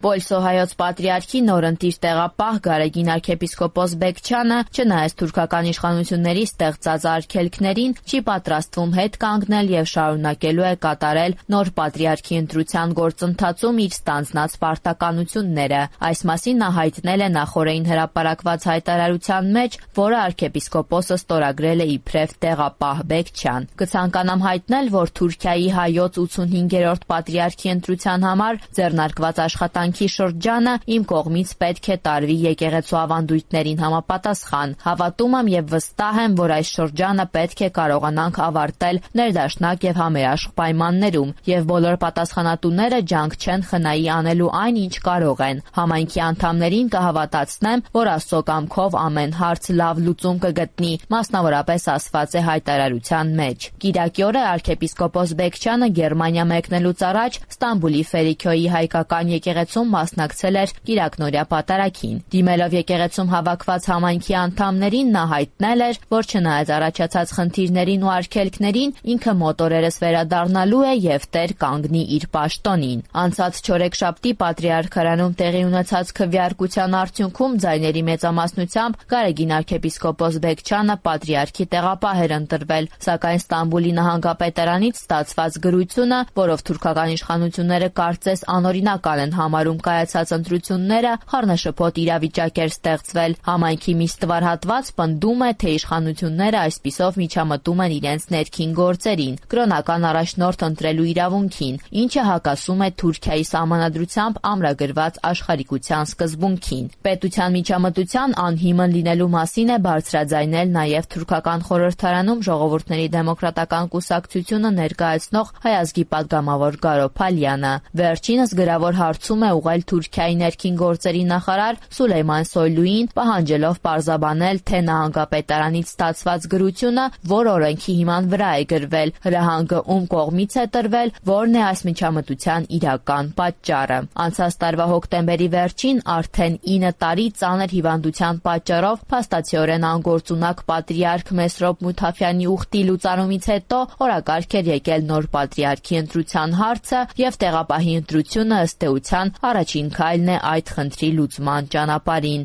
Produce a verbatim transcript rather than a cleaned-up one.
Պոլսո հայոց պատրիարքի նորընտիր տեղապահ Գարեգին arczepiskopos Բեկչյանը, չնայած թուրքական իշխանությունների ստեղծած արգելքներին, չի պատրաստվում հետ կանգնել եւ շարունակելու է կատարել նոր պատրիարքի ընտրության գործընթացում իր ստանձնած պարտականությունները։ Այս մասին նա հայտնել է նախօրեին հրապարակված հայտարարության մեջ, որը arczepiskopos-ը ստորագրել է իբրև տեղապահ Բեկչյան։ Կցանկանամ հայտնել, որ Թուրքիայի հայոց ութսունհինգերորդ պատրիարքի ընտրության համար ձեռնարկված աշխատանքի շրջանը իմ կողմից պետք է տարվի եկեղեցու ավանդույթներին համապատասխան։ Հավատում եմ եւ վստահ եմ, որ այս շրջանը պետք է կարողանանք ավարտել ներդաշնակ եւ համերաշխ պայմաններում, եւ բոլոր պատասխանատուները ջանք չեն խնայի անելու այն, ինչ կարող են։ Համայնքի անդամներին կհավատացնեմ, որ Աստծո կամքով ամեն հարց լավ լուծում կգտնի, մասնավորապես ասված է հայտարարության մեջ։ Կիրակի օրը arczepiskopos Բեկչյանը Գերմանիա մեկնելուց առաջ Ստամբուլի Ֆերիքյոյի հայկական եկեղեցում մասնակցել էր կիրակնօրյա պատարագին։ Դիմելով եկեղեցում հավաքված համայնքի անդամներին, նա հայտնել էր, որ չնայած առաջացած խնդիրներին ու արգելքներին, ինքը մոտորերս վերադառնալու է եւ տեր կանգնի իր պաշտոնին։ Անցած չորեքշաբթի պատրիարքարանում տեղի ունեցած քվեարկության արդյունքում ձայների մեծամասնությամբ Գարեգին arczepiskopos Բեկչյանը պատրիարքի տեղապահ էր ընտրվել, սակայն Ստամբուլի նահանգապետարանից ստացված գրությունը, որով թուրքական իշխանությունները կարծես անօրինական են համարում կայացած ընտրությունները, խառնաշփոթ իրավիճակ էր ստեղծվել։ Համայնքի մի ստվար հատված պնդում է, թե իշխանությունները այսպիսով միջամտում են իրենց ներքին գործերին, կրոնական առաջնորդ ընտրելու իրավունքին, ինչը հակասում է Թուրքիայի սահմանադրությամբ ամրագրված աշխարհիկության սկզբունքին։ Պետության միջամտության անհիմն լինելու մասին է բարձրաձայնել նաև թուրքական խորհրդարանում Ժողովուրդների դեմոկրատական կուսակցությունը ներկայացնող Հայ ազգի պատգամավոր Գարո Փալյանը։ Վերջինս գրավոր հարցում է ուղղել Թուրքիայի ներքին գործերի նախարար Սուլեյման Սոյլուին, պահանջելով պարզաբանել, թե նահանգապետարանից ստացված գրությունը որ օրենքի հիման վրա է գրվել, հրահանգը ում կողմից է տրվել, որն է այս միջամտության իրական պատճառը։ Անցած տարվա հոկտեմբերի վերջին արդեն ինը տարի ծանր հիվանդության պատճառով փաստացիորեն անգործունակ պատրիարք Մեսրոպ Մութաֆյանի ուխտի լուծարումից հետո օրակարգ էր եկել նոր պատրիարքի ընտրության հարցը եւ տեղապահի ընտրությունը ըստ էության առաջին քայլն է այդ խնդրի լուծման ճանապարհին։